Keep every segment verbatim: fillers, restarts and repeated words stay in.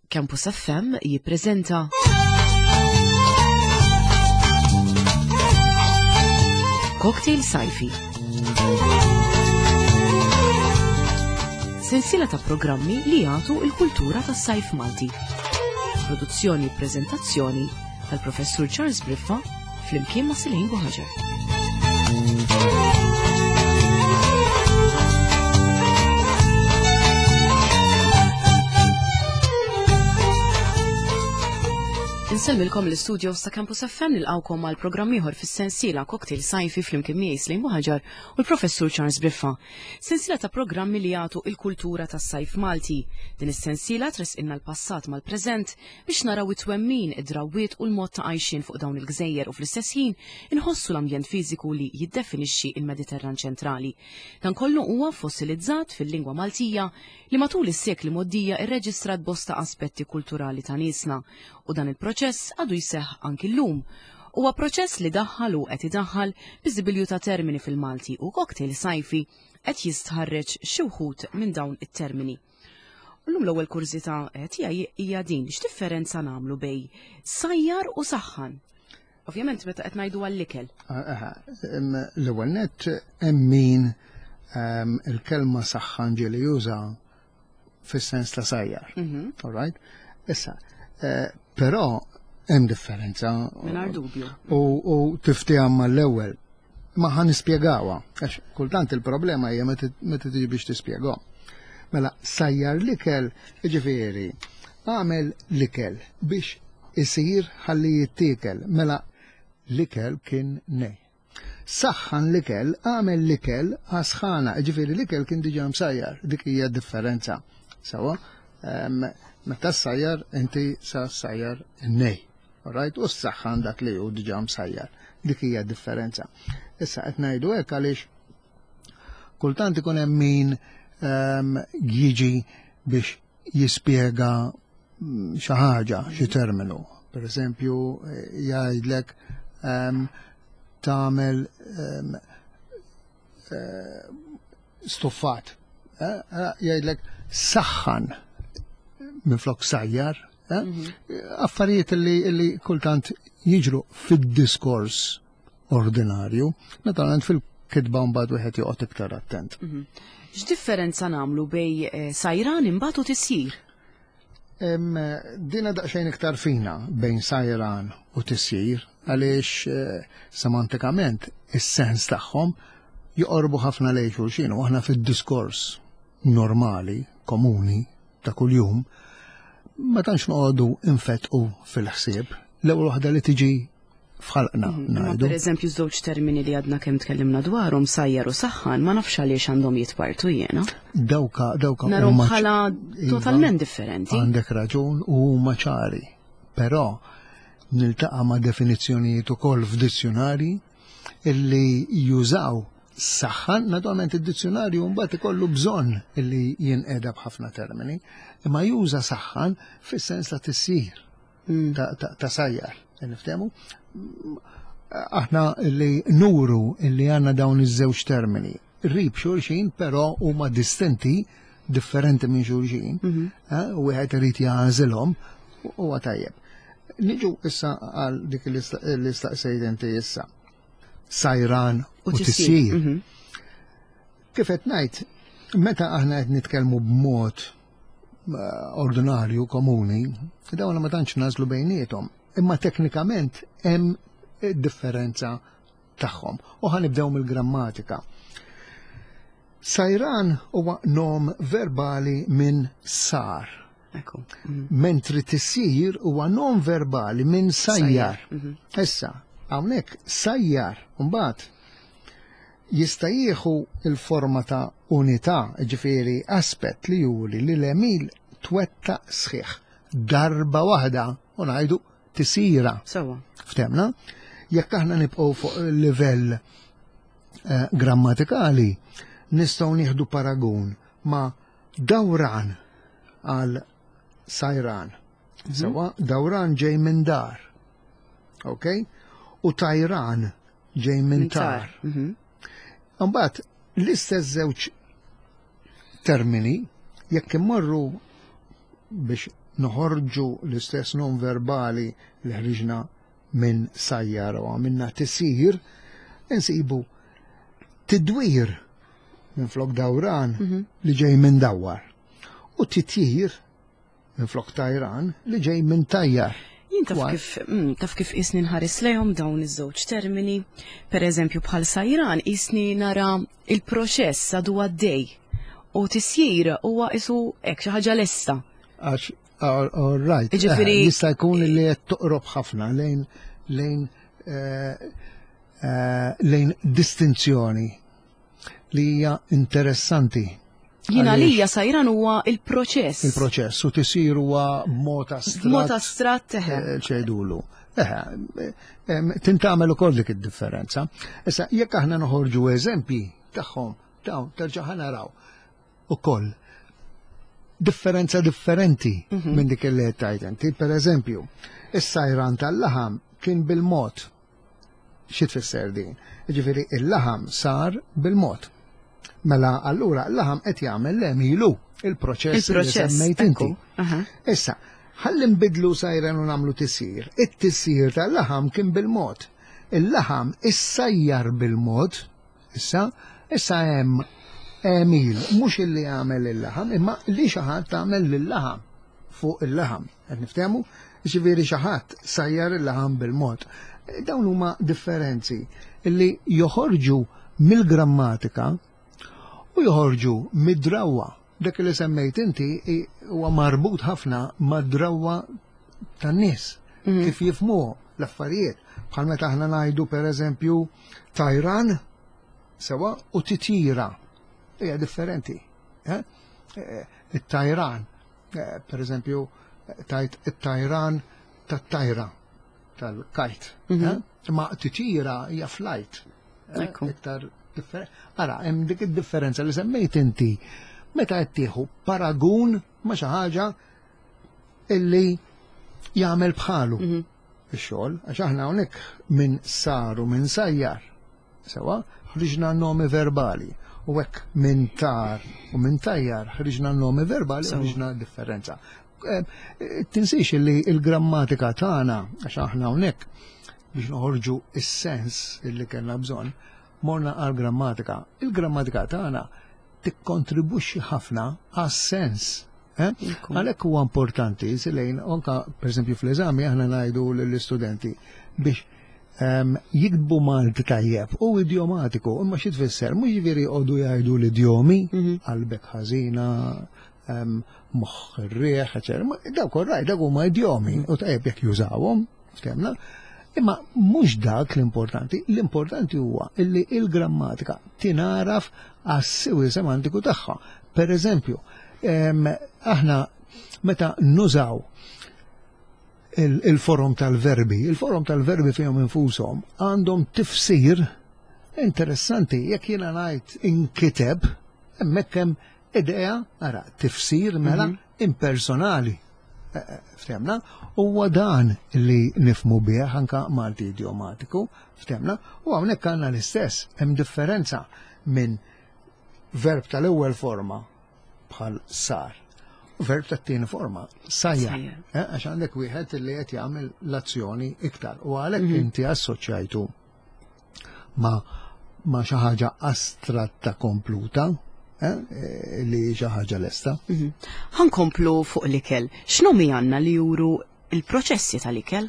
Campus F M jippreżenta Cocktail Sajfi. Sensiela ta' programmi li jagħtu l-kultura tas-sajf Malti. Produzzjoni u preżentazzjoni tal-Professur Charles Briffa flimkien ma' Silejn Buħaġar. Insellmilkom l-istudios ta' Campus F M, nilqawkom għal programm ieħor fis-sensiela Cocktail Sajfi flimkien miegħi Slejn Buħaġar u l-Professur Charles Briffa. Sensiela ta' programmi li jagħtu il-kultura tas-sajf Malti. Din is-sensiela tresqilna l-passat mal-preżent biex naraw it-twemmin, id-drawwiet u l-mod ta' għajxien fuq dawn il-gżejjer u fl-istess ħin inħossu l-ambjent fiżiku li jiddefinixxi il-Mediterran ċentrali. Dan kollu huwa fossilizzat fil-lingwa Maltija li matul is-sekli mgħoddija rreġistrat bosta aspetti kulturali ta' niesna, u dan il-proċess għadu jseħħ anki llum. Huwa proċess li daħħal u qed idaħħal biżibilju ta' termini fil-Malti u Cocktail Sajfi qed jistħarreġ xi wħud minn dawn it-termini. U llum l-ewwel kurżità tiegħi hija din, x'differenza nagħmlu bej sajjar u saħħan? Ovvjament meta qed ngħidu għall-ikel. L-ewwel nett hemm min il-kelma saħħan ġieli juża fis-sens ta' sajjar. All right? Issa, però hemm differenza. Mingħajr dubju. U tiftiha mal-ewwel. Ma ħa nispjegawha, għax kultant il-problema hija meta tiġi biex tispjegahom. Mela, sajjar l-ikel, jiġifieri, għamel l-ikel biex isir ħalli jittiekel. Mela, l-ikel kien nej. Saħħan l-ikel, għamel l-ikel għasħana, jiġifieri l-ikel kien diġà msajjar, dik hija differenza. Sawa, meta s-sajjar, inti sa s-sajjar nej. Right? U s-saħħan dak li hu diġà msajjar. Dik hija differenza. Issa qed ngħidu hekk għaliex kultant ikun hemm min jiġi biex jispjega xi ħaġa, xi terminu. Per eżempju, jgħidlek tagħmel stuffat. Jgħidlek saħħan minflok sajjar. Affarijiet li kultant jiġru fid-diskors ordinarju, naturalment fil-kitba mbagħad wieħed joqgħod iktar attent. X'differenza nagħmlu bej sajran imbagħad u tisjir? Dina daqsxejn iktar fina bejn sajran u tisjir, għaliex semantikament is-sens tagħhom joqorbu ħafna lejn xulxin, u aħna fid-diskors normali, komuni, ta' kuljum, ma tantx noqogħdu infetqu fil-ħsieb. L-ewwel waħda li tiġi f'ħalqna ngħidu. Per eżempju, żewġ termini li għadna kemm tkellimna dwarhom, sajjar u saħħan, ma nafx għaliex għandhom jitpartu jiena. Dawka, dawka Narhom bħala totalment differenti. Għandek raġun u huma ċari. Però niltaqa' ma' definizzjonijiet ukoll f'dizzjonari illi jużaw saħħan, naturalment id-dizzjonarju mbagħad ikollu bżonn illi jinqeda b'ħafna termini, imma juża saħħan fis-sens ta' tissir, ta' sajjar, niftehmu? Aħna li nuru illi għandna dawn iż-żewġ termini, rib xulxin, però huma distinti, differenti minn xulxin, u wieħed irid jagħżilhom, huwa tajjeb. Niġu issa għal dik li staqsejt inti issa. Sajran u tisjir. Kif qed ngħid, meta aħna qed nitkellmu b'mod ordinarju komuni, dawn ma tantx nażlu bejniethom, imma teknikament hemm differenza tagħhom. U ħanibdew mill-grammatika. Sajran huwa nom verbali minn sar. Mentri tisjir huwa nom verbali minn sajjar. Issa, hawnhekk sajjar mbagħad jista' jieħu l-forma ta' unità, ġifieri aspett li juri li l-emil twettaq sħiħ darba waħda u ngħidu tisira. Sewa. Ftemna? Jekk aħna nibqgħu fuq livell grammatikali, nistgħu nieħdu paragun ma' dawran għal sajran. Sewa, dawran ġej minn dar. Ok? U tajran ġej minn tar. Mbagħad l-istess żewġ termini jekk immorru biex noħorġu l-istess nom verbali li ħriġna minn sajjar u għamilna tisir, insibu tidwir minn flok dawran li ġej minn dawwar u titjir minn flok tajran li ġej minn tajjar. Jien taf Why? kif, mm, taf kif isni nħares lejhom dawn iż-żewġ termini, per eżempju bħal sajran isni nara il-proċess għadu għaddej u tisjir huwa isu hekk xi ħaġa lesta. Għax, all all right. Jiġifieri- Eh, Jista' jkun li qed toqrob ħafna lejn lejn eh, eh, lejn distinzjoni li hija interessanti. Jiena Għaliex lija sajran huwa il-proċess. Il-proċess u tisir huwa mod astratt. Mod astratt eħe. eh, ċejdulu. Eħe, em, tintamel ukoll dik id-differenza. Issa, jekk aħna noħorġu eżempji tagħhom, dawn terġa' ħa naraw ukoll differenza differenti minn dik li qed tgħid inti. Per eżempju, is-sajran tal-laħam kien bil-mod. Xi tfisser din? Jiġifieri il-laħam sar bil-mod. Mela allura l-laħam qed jagħmel l-emilu il-proċess li Il-proċess. semmejt inti. ekku. Aha. Issa, ħalli nbidlu sajran u nagħmlu tisir. It-tisir tal-laħam kien bil-mod. Il-laħam issajjar bil-mod, issa, issa hemm għemil, mhux illi għamel il-laħam, imma li xi ħadd għamel lill-laħam fuq il-laħam. Qed niftehmu? Ġifieri xi ħadd sajjar il-laħam bil-mod. Dawn huma differenzi illi joħorġu mill-grammatika u joħorġu mid-drawwa. Dak li semmejt inti i- huwa marbut ħafna mad-drawwa tan-nies kif jifhmuhom l-affarijiet. Bħal meta aħna ngħidu pereżempju tajran sewa u titjira. Hija differenti. eh? Eh, It-tajran, eh, pereżempju, tajt it-tajran tat-tajra tal-kajt. eh? Ma titjira hija flight. eh, Ekku. Iktar differenti. Ara, hemm dik id-differenza li semmejt inti meta qed tieħu paragun ma' xi ħaġa illi jagħmel bħalu ix-xogħol, għax aħna hawnhekk minn sar u minn sajjar. Sewa, ħriġna nomi verbali. U hekk minn tar u minn tajjar ħriġna nomi verbali u Sewa. ħriġna differenza. Eh, eh, Tinsiex li il-grammatika tagħna, għax aħna hawnhekk biex noħorġu is-sens illi kellna bżonn, morna għal-grammatika. Il-grammatika tagħna tikkontribwixxi ħafna għas-sens. Eh? Ekku. Għalhekk huwa importanti, silejn, anka per eżempju fl-eżami aħna ngħidu lill-istudenti biex um, jiktbu Malti tajjeb u idiomatiku, imma xi tfisser, mhux jiġifieri jqogħdu jgħidu l-idjomi, qalbek ħażina, um, moħħ ir-riħ, eċetera. Ma Dawk orrajt, dawk huma idjomi u tajjeb jekk jużawhom, ftehmna. Imma mhux dak l-importanti, l-importanti huwa illi il-grammatika tinaraf għas-siwi semantiku tagħha. Per eżempju, em, aħna meta nużaw il- il-forom tal-verbi, il-forom tal-verbi fihom infushom għandhom tifsir interessanti. Jekk jiena ngħid inkiteb, hemmhekk hemm idea, ara, tifsir mela impersonali. Eh, eh, Ftehmna, huwa dan li nifhmu bih anka Malti idiomatiku, ftehmna, u hawnhekk għandna l-istess, hemm differenza minn verb tal-ewwel forma bħal sar. U verb tat-tieni forma sajjar. Sajjar. Eh, Għax għandek wieħed li qed jagħmel l-azzjoni iktar u għalhekk inti assoċjajtu ma ma xi ħaġa astratta kompluta, eh, eh, li xi ħaġa lesta. Ħankomplu fuq l-ikel. X'nomi għandna li juru il-proċessi tal-ikel?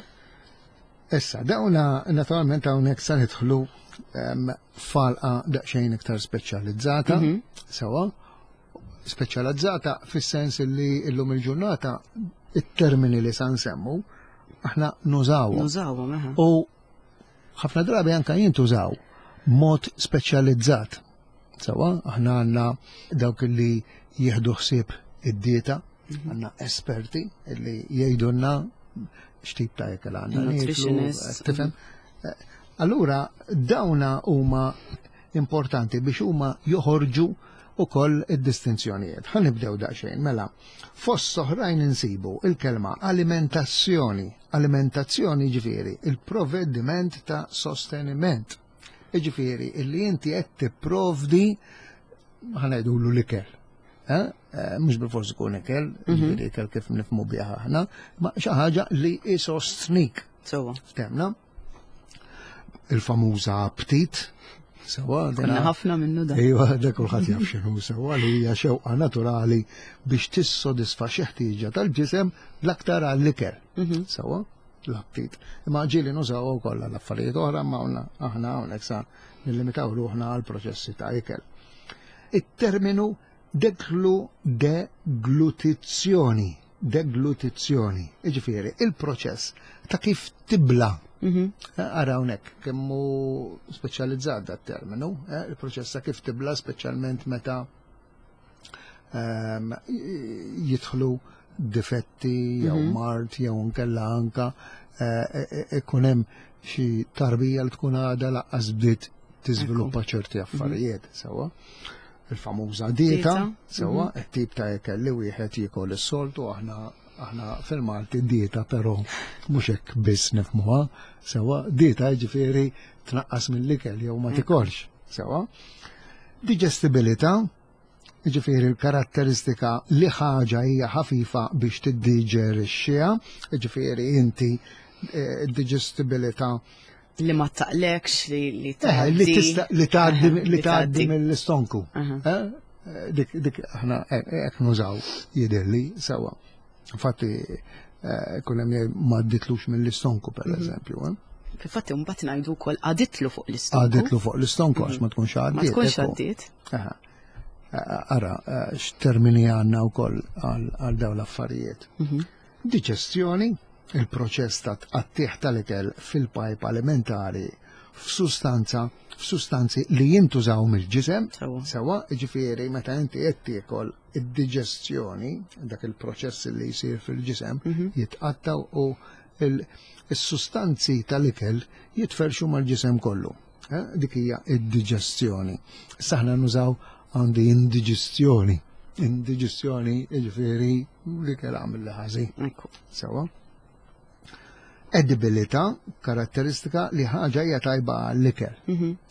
Issa, dawna naturalment hawnhekk sa nidħlu em, falqa daqsxejn iktar speċjalizzata, sewa, speċjalizzata fis-sens li illum il-ġurnata it-termini li sa nsemmu aħna nużawhom. Nużawhom, eħe. U ħafna drabi anka jintużaw mod speċjalizzat. Sewa, aħna għandna dawk li jieħdu ħsieb id-dieta, għandna esperti li jgħidulna x'tip ta' ikel għandna nieklu, Nutritionists. tifhem? Eh, Allura dawna huma importanti biex huma joħorġu ukoll id-distinzjonijiet. Ħa nibdew daqsxejn, mela, fost oħrajn insibu il-kelma alimentazzjoni. Alimentazzjoni ġifieri il-provvediment ta' sosteniment. Ġifieri illi inti qed tipprovdi ħa ngħidulu l-ikel. Eh? Eh, mhux bilfors ikun ikel, jiġifieri ikel kif nifhmu bih aħna, ma xi ħaġa li isostnik. Sewwa. Ftemna? Il-famuża aptit, sewwa. Konna ħafna minnu da. Ejwa, da kulħadd jaf x'inhu sewwa, li hija xewqa naturali biex tissodisfa xi ħtieġa tal-ġisem, l-aktar għall-ikel. Sewwa, l-aptit. Imma ġieli nużaw ukoll għal affarijiet oħra, ma aħna hawnhekk sa nillimitaw ruħna għal proċessi ta' ikel. It-terminu deglu deglutizzjoni, deglutizzjoni, jiġifieri il-proċess ta' kif tibla. Ara hawnhekk kemm hu speċjalizzat dat terminu, eh, il-proċess ta' kif tibla, speċjalment meta ehm, jidħlu difetti jew mard jew nkella anka eh, eh, ikun hemm xi tarbija li tkun għadha lanqas bdiet tiżviluppa ċerti affarijiet, sewwa. Il-famuża dieta, Dieta, sewwa, it-tip ta' ikel li wieħed jiekol is-soltu. aħna aħna fil-Malti dieta però mhux hekk biss nifhmuha, sewwa, dieta jiġifieri tnaqqas mill-ikel jew ma tikolx, sewwa. Digestibilità, jiġifieri l-karatteristika li ħaġa hija ħafifa biex tiddiġerixxiha, jiġifieri inti eh, digestibilità Li ma taqlekx, li li Eh, li tgħaddi. tista' li tgħaddi li tgħaddi tgħaddi. mill-istonku. Aha. Eh, Dik dik aħna hekk nużaw, jidhirli sewwa. Infatti eh, kun hemm jgħid ma għadditlux mill-istonku, per eżempju. eh. Fil-fatti mbagħad ngħidu wkoll għaditlu fuq l-istonku. Għaditlu fuq l-istonku għax ma tkunx Ma għaddiet. tkunx ekku. għaddiet. Aha. Eh, Ara, eh, x'termini għandna wkoll għal għal dawn l-affarijiet. Diġestjoni, il-proċess ta' tqattih tal-ikel fil-pajp alimentari f'sustanza, f'sustanzi li jintużaw mill-ġisem. Sewwa. Sewwa, ġifieri meta inti qed tiekol, id-diġestjoni, dak il-proċess li jsir fil-ġisem, jitqattaw u il- is-sustanzi tal-ikel jitferxu mal-ġisem kollu. Eh, Dik hija id-diġestjoni. Aħna nużaw għandi indiġestjoni. Indiġestjoni jiġifieri l-ikel għamel li ħażin. Ekku. Sewwa. Edibilità, karatteristika li ħaġa hija tajba għall-ikel.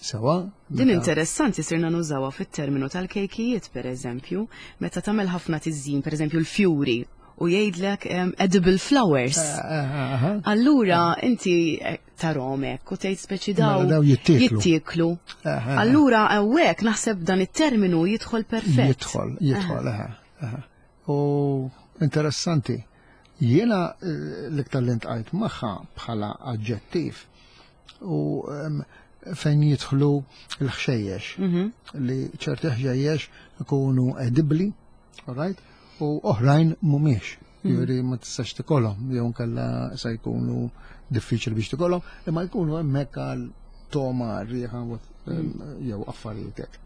Sewwa. Din meta- interessanti, sirna nużawha fit-terminu tal-kejkijiet, per eżempju, meta tagħmel ħafna tiżjin, per eżempju l-fjuri, u jgħidlek em, edible flowers. Eh, eh, eh, Allura inti eh, tarahom hekk u tgħid speċi daw Mela daw jittieklu. jittieklu. Eh, eh, Allura hawnhekk naħseb dan it-terminu jidħol perfett. Jidħol, jidħol, eħe, eħe. U interessanti, jiena eh, l-iktar li ltqajt magħha bħala aġġettiv u em, fejn jidħlu l-ħxejjex, li ċerti ħxejjex ikunu edibli, alright, u oħrajn mhumiex. Jiġifieri ma tistax tikolhom, jew nkella sa jkunu diffiċli biex tikolhom, imma jkunu hemmhekk għal toma, riħa jew affarijiet hekk.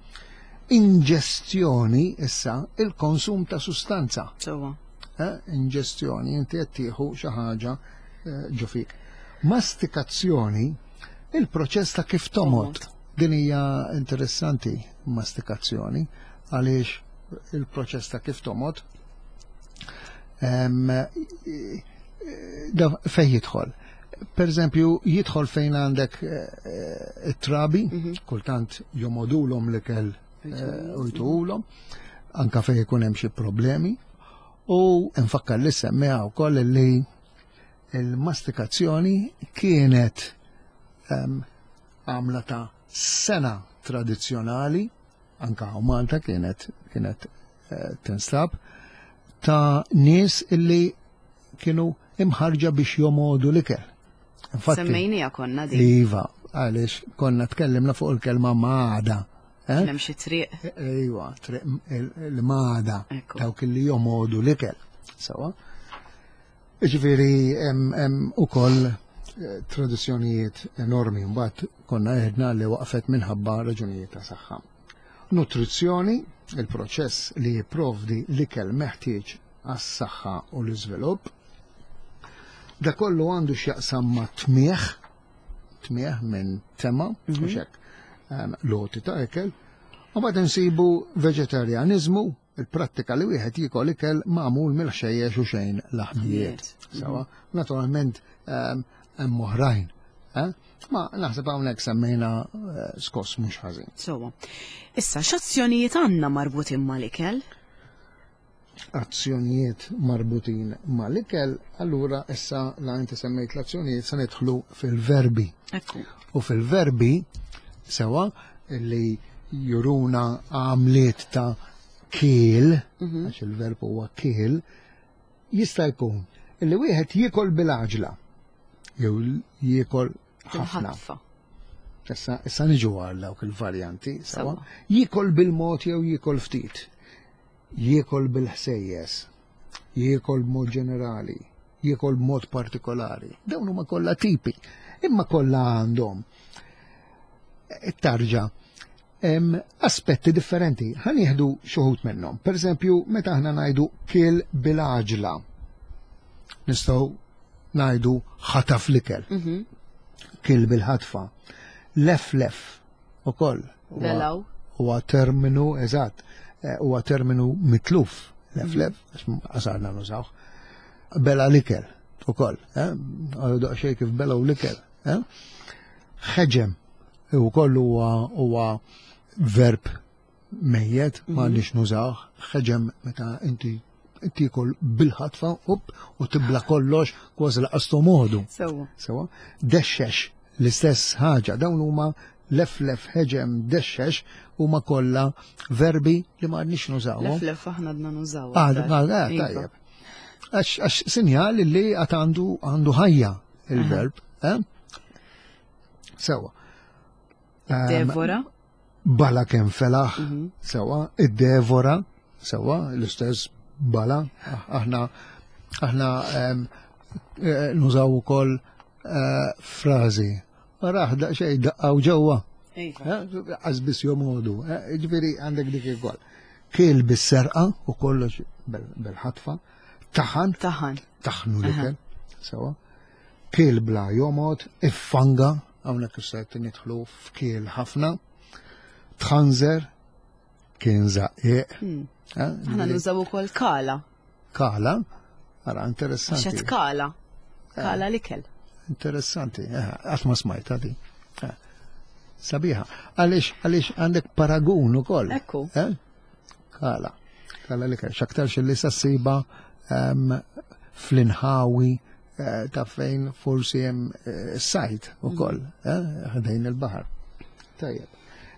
Inġestjoni issa, il-konsum ta' sustanza. Sewwa. Eh, Inġestjoni, inti qed tieħu xi ħaġa eh, ġo fik. Mastikazzjoni, il-proċess ta' kif tomgħod. Tomgħod. Din hija interessanti, mastikazzjoni, għaliex il-proċess ta' kif tomgħod em, eh, da fej jidħol. Per eżempju, jidħol fejn għandek eh, it-trabi, kultant jomogħdulhom l-ikel eh, u jtuhulhom, anka fejn ikun hemm xi problemi. U nfakkar li semmeha wkoll li il-mastikazzjoni kienet em, għamla ta' sengħa tradizzjonali, anka hawn Malta kienet kienet eh, tinstab, ta' nies illi kienu imħarġa biex jomogħdu l-ikel. Infatti, Semmejnija konna din. Iva, għaliex konna tkellimna fuq il-kelma magħda. Eh? Kien hemm xi triq. Ejwa, triq il-magħda, Ekku. dawk li jomogħdu l-ikel. Sewwa. Ġifieri, hemm ukoll eh, tradizzjonijiet enormi, mbagħad konna għedna li waqfet minħabba raġunijiet ta' saħħa. Nutrizzjoni, il-proċess li jipprovdi l-ikel meħtieġ għas-saħħa u l-iżvilupp. Da kollu għandu x'jaqsam ma' tmieħ, tmieħ minn tema, u hekk, em, loti ta' ikel. U mbagħad insibu veġetarjanizmu, il-prattika li wieħed jiekol ikel magħmul mill-ħxejjex u xejn laħmijiet. Sewwa, naturalment em, hemm oħrajn. Eh? Ma naħseb hawnhekk semmejna eh, skoss mhux ħażin. Sewwa. Issa, x'azzjonijiet għandna marbutin mal-ikel? Azzjonijiet marbutin mal-ikel, allura issa la inti semmejt l-azzjonijiet, se nidħlu fil-verbi. Ekku. U fil-verbi, sewa, li juruna għamliet ta' kiel, għax il-verb huwa kiel, jista' jkun illi wieħed jiekol bil-għaġla, jew jiekol ħafna. Ħatfa. Issa, issa niġu għal dawk il-varjanti, sewa. Sewa. Jiekol bil-mod jew jiekol ftit. Jiekol bil-ħsejjes. Jiekol b'mod ġenerali. Jiekol b'mod partikolari. Dawn huma kollha tipi. Imma kollha għandhom it-tarġa hemm aspetti differenti. Ħa nieħdu xi wħud minnhom. Per eżempju, meta aħna ngħidu kiel bil-għaġla, nistgħu ngħidu ħataf l-ikel. Mhm. Kiel bil-ħatfa. Lef lef ukoll. Huwa- Belaw. Huwa terminu, eżatt, eh, huwa terminu mitluf. Lef lef, għax għasarna nużawh. Bela l-ikel ukoll, eh? Għadu daqsxejn kif belaw l-ikel, eh? Ħeġem ukoll huwa huwa verb mejjet, ma nix nużawh. Ħeġem meta inti tiekol bil-ħatfa up, u tibla kollox kważi laqas tomodu. Sewa. Sewa, dexxex, l-istess ħaġa, dawn huma leflef, ħeġem, dexxex, huma kollha verbi li ma għadniex nużawhom. Lef lef aħna għadna nużaw. Ah, aktar. ah, ah, Iva. tajjeb. Għax għax sinjal li għad għandu għandu ħajja il-verb. Eh? Sewa. Ehm, Devora. Bala kemm felaħ, Mhm. sewa, id-devora, sewa, l-istess bala, aħna aħna em, eh, nużaw ukoll eh, frażi. Raħ daqsxejn daqqaw ġewwa. Iva. Eh, Għazbis jomodu, eh, ġifieri għandek dik ukoll. Kiel bis-serqa u kollox bil- bil-ħatfa, taħan, Taħan. taħnu l-ikel, sewa. Kiel bla jomod, iffanga, hawnhekk issa qed nidħlu f'kiel ħafna, tħanżer, kien żaqqiq. Hmm. eh, Aħna ġifieri nużaw ukoll kala. Kala, ara Għax interessanti. qed kala. Kala l-ikel. Interessanti, eh, qatt ma smajta di. Eh, Sabiħa. Għaliex, għaliex għandek paragun ukoll. Ekku. Eh? Kala. Kala li kien. Xaktarx li sassiba em, fl-inħawi eh, ta' fejn forsi hemm eh, sajt ukoll, eh, ħdejn il-baħar. Tajjeb.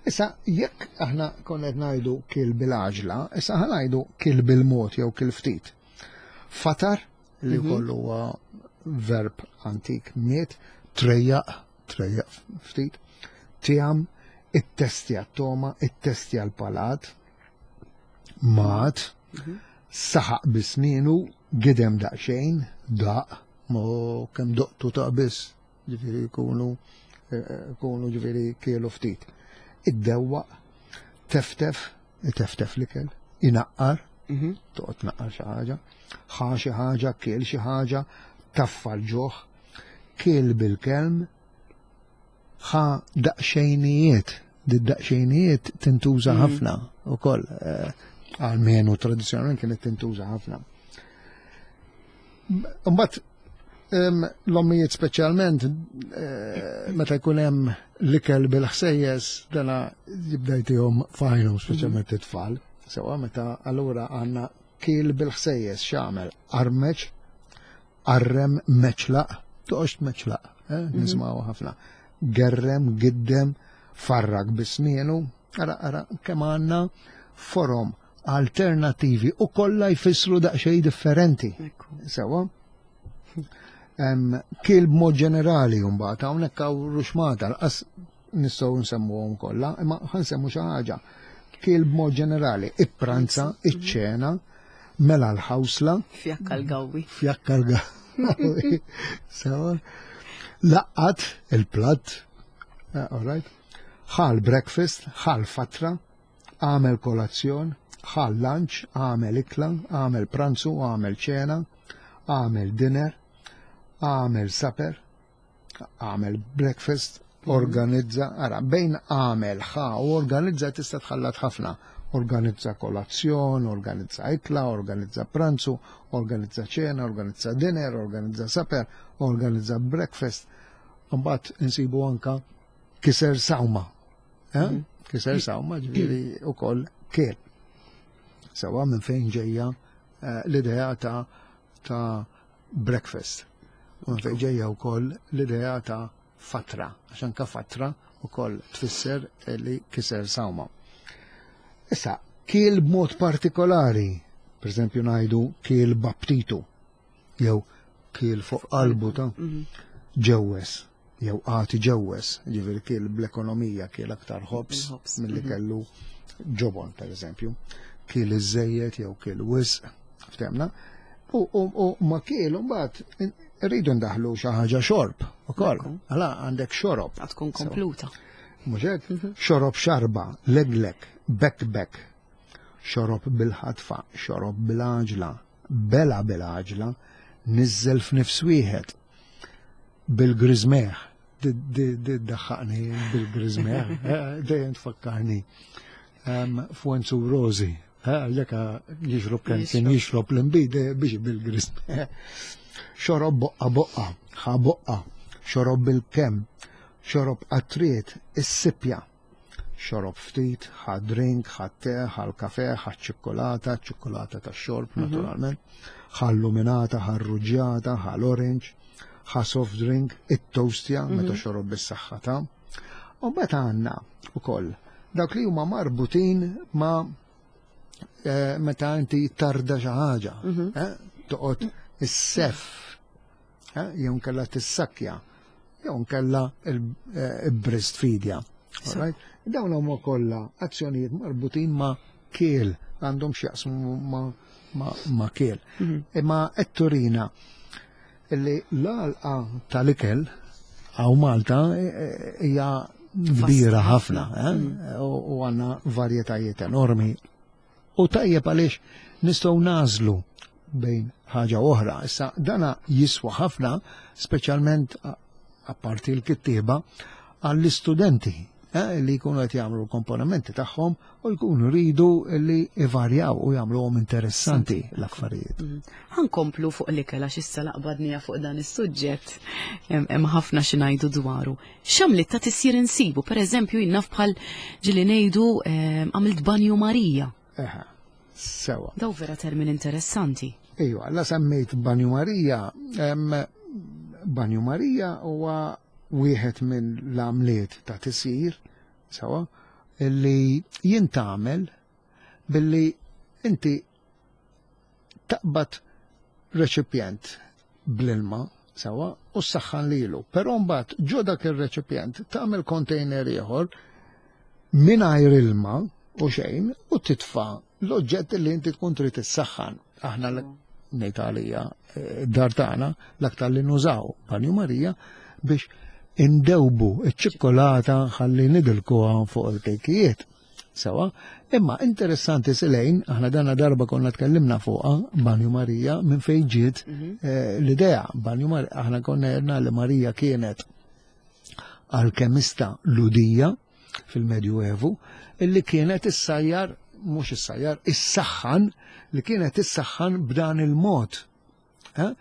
Issa, jekk aħna konna qed ngħidu kiel bil-għaġla, issa ħa ngħidu kiel bil-mod jew kiel ftit. Fatar, li kollu huwa verb antik miet, trejjaq, trejjaq ftit, tiegħem, ittestja t-toma, ittestja l-palat, mat, saħaq bisninu, gidem daqxejn, daq, mo kem doqtu ta' biss, ġifieri jkunu, eh, jkunu ġifieri kielu ftit. Iddewwaq, teftef, teftef l-ikel, inaqqar, Mhm. toqgħod tnaqqar xi ħaġa, ħa xi ħaġa, kiel xi ħaġa, taffa l-ġuħ, kiel bil-kelm, ħa daqxejnijiet, di daqxejnijiet tintuża ħafna ukoll, eh, almenu tradizzjonalment kienet tintuża ħafna. Mbagħad em, l-ommijiet speċjalment eh, meta jkun hemm l-ikel bil-ħsejjes dana jibda jtihom fajnu speċjalment it-tfal. Sewa meta allura għandna kiel bil-ħsejjes x'għamel armeċ, arrem meċlaq, toqgħodx tmeċlaq, eh, nisimgħu ħafna. Gerrem, giddem, farrak bisnienu, ara ara kemm għandna forom alternativi u kollha jfissru daqsxejn differenti. Ekku. Sewa. Em, Kiel b'mod ġenerali mbagħad hawnhekk hawn ruxmata lanqas nistgħu nsemmuhom kollha, imma ħa nsemmu xi ħaġa. Kiel b'mod ġenerali, ippranza, iċ-ċena, mela l-ħawsla, Fjakka l-gawwi. fjakka l Sewa. Laqqat il-platt, eh, all right. Ħal breakfast, ħal fatra, għamel kolazzjon, ħal lunch, għamel ikla, għamel pranzu, għamel ċena, għamel dinner, għamel supper, għamel breakfast, organizza, ara, bejn għamel, ħa u organizza tista' tħallat ħafna. Organizza kolazzjon, organizza ikla, organizza pranzu, organizza ċena, organizza dinner, organizza supper, organizza breakfast. Mbagħad insibu anka kiser sawma. Eh? Kiser sawma ġifieri ukoll kiel. Sewa minn fejn ġejja l-idea ta' ta' breakfast. U fejn ġejja wkoll l-idea ta' fatra, għax anka fatra wkoll tfisser li kiser sawma. Issa, kiel b'mod partikolari, per eżempju ngħidu kiel baptitu, jew kiel fuq qalbu ta' ġewwes, jew għati ġewwes, ġifieri kiel bl-ekonomija, kiel aktar ħobż milli kellu ġobon, per eżempju. Kiel iżejjed jew kiel wisq, ftemna. U, u, u ma kiel mbagħad rridu ndaħlu xi ħaġa xorb ukoll. Għala għandek xorob. Għad tkun kompluta. Mhux hekk? Xorob xarba, leglek, bekbek, xorob bil-ħatfa, xorob bil-għaġla, bela bil-għaġla, niżżel f'nifs wieħed, bil-griżmeħ, daħħaqni bil-griżmeħ, dejjem tfakkarni Fuenzu Rosi, għalhekk jixrob kien kien jixrob l-inbid biex bil-griżmeħ. Xorob boqqa boqqa, ħa boqqa, xorob bil-kem, xorob qatriet, is-sipja, xorob ftit, ħa drink, ħa te, ħa l-kafe, ħa ċikkolata, ċikkolata ta' xorb naturalment, ħa luminata, ħa ruġġjata, ħa l-orange, ħa soft drink, it-toastja, meta xorob bis-saħħa ta'. U mbagħad għandna ukoll dawk li huma marbutin ma' eh, meta inti tarda xi ħaġa, eh, toqgħod is-sef, eh, jew nkella tissakja, jew nkella il-breastfeedja. Alright? Dawn huma kollha azzjonijiet marbutin ma' kiel, għandhom x'jaqsmu ma' ma', ma' kiel. Imma qed turina illi l-għalqa tal-ikel hawn Malta eh, hija kbira ħafna, eh? u u għandna varjetajiet enormi. U tajjeb għaliex nistgħu nażlu bejn ħaġa oħra. Issa dana jiswa ħafna, speċjalment a- apparti l-kittieba, għall-istudenti eh, li jkunu qed jagħmlu l-komponimenti tagħhom u jkunu ridu li ivarjaw u jagħmluhom interessanti l-affarijiet. Ħankomplu fuq l-ikel għax issa laqbadnija fuq dan is-suġġett hemm hemm ħafna xi ngħidu dwaru. X'għamliet ta' tisjir insibu, pereżempju jien naf bħal ġieli ngħidu ehm, għamilt banju Marija. Eħe, sewa. Daw vera termin interessanti. Ejwa, la semmejt Banju Marija, em, Banju Marija huwa wieħed minn l-għamliet ta' tisjir, sewa, illi jintgħamel billi inti taqbad reċipjent bl-ilma, sewa, u ssaħħan lilu. Però mbagħad ġo dak ir-reċipjent tagħmel container ieħor mingħajr ilma u xejn u titfa' l-oġġett li inti tkun trid issaħħan. Aħna l- ngħid għalija eh, dar tagħna l-aktar li nużaw Banju Marija biex indewbu iċ-ċikkolata ħalli nidilkuha fuq il-kejkijiet. Sewa, imma interessanti silejn, aħna dana darba konna tkellimna fuqha Banju Marija minn fejn ġiet eh, l-idea. Banju Marija, aħna konna għedna li Marija kienet alkemista Lhudija fil-Medjuevu illi kienet issajjar, mhux issajjar, issaħħan, li kienet issaħħan b'dan il-mod. Eh?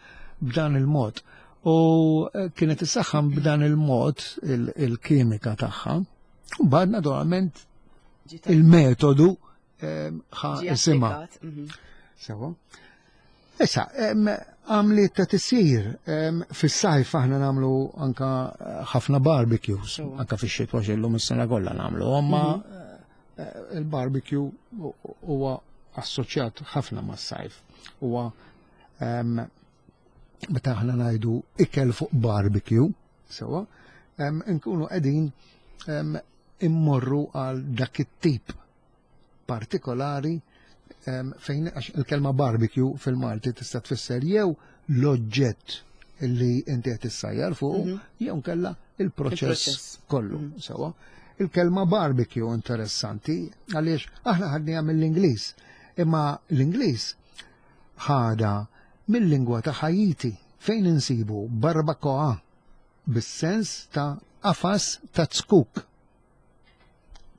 B'dan il-mod. U eh, kienet issaħħan b'dan il-mod il- il-kimika tagħha. U bad naturalment il-metodu eh, ħa Ġie isimha. applikat, mhm. Sewa. Issa, em, għamliet ta' tisjir, em, fis-sajf aħna nagħmlu anka eh, ħafna barbecues, Sewa. anka fix-xitwa xillum is-sena kollha nagħmlu, imma eh, il-barbecue hu- huwa assoċjat ħafna mas-sajf. Huwa em, meta aħna ngħidu ikel fuq barbecue, sewa, em, nkunu qegħdin em, immorru għal dak it-tip partikolari em, fejn għax il-kelma barbecue fil-Malti tista' tfisser jew l-oġġett li inti qed issajjar fuq jew nkella il-proċess Il-proċess. kollu sewa. Il-kelma barbecue interessanti għaliex aħna ħadniha mill-Ingliż, imma l-Ingliż ħada mill-lingwa ta' Haiti fejn insibu barbacoa bis-sens ta' qafas ta' zkuk.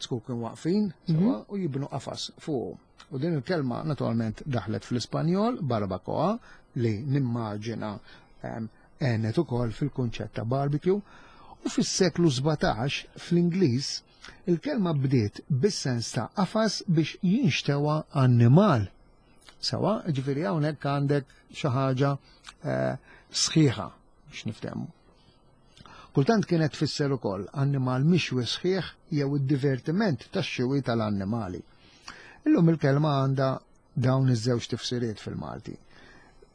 Zkuk waqfin sewa, u jibnu qafas fuq. U din il-kelma naturalment daħlet fl-Ispanjol, barbacoa, li nimmaġina em, għenet ukoll fil-kunċett ta' barbecue. U fis-seklu sbatax fl-Ingliż il-kelma bdiet bis-sens ta' qafas biex jinxtewa annimal. Sewwa, ġifieri hawnhekk għandek xi ħaġa eh, sħiħa biex niftehmu. Kultant kienet tfisser ukoll annimal mixwi sħiħ jew id-divertiment tax-xwi tal-annimali. Illum il-kelma għandha dawn iż-żewġ tifsiriet fil-Malti.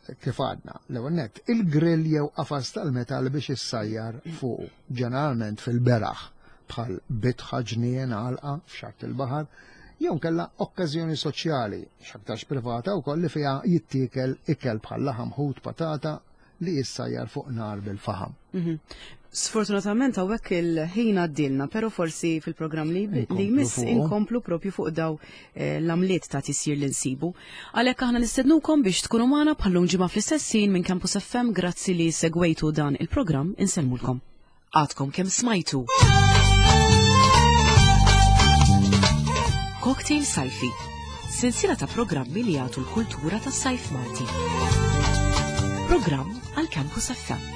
Kif għadna, l-ewwel nett, il-grill jew qafas tal-metall biex issajjar fuq, ġeneralment fil-beraħ, bħal bitħa, ġnien, għalqa, f'xatt il-baħar, jew kella okkażjoni soċjali, x'aktarx privata wkoll, li fiha jittiekel ikel bħal laħam, ħut, patata li jissajjar fuq nar bil-faħam. Mhm. Sfortunatament hawnhekk il-ħin għaddilna, pero forsi fil-programm li li jmiss inkomplu propju fuq daw eh, l-għamliet ta' tisjir li nsibu. Għalhekk aħna nistednukom biex tkunu magħna bħallum ġimgħa fl-istess ħin minn Campus F M. Grazzi li segwejtu dan il-programm, insellmulkom. Għadkom kemm smajtu Cocktail Sajfi, sensiela ta' programmi li jagħtu l-kultura tas-sajf Malti. Programm għal Campus F M.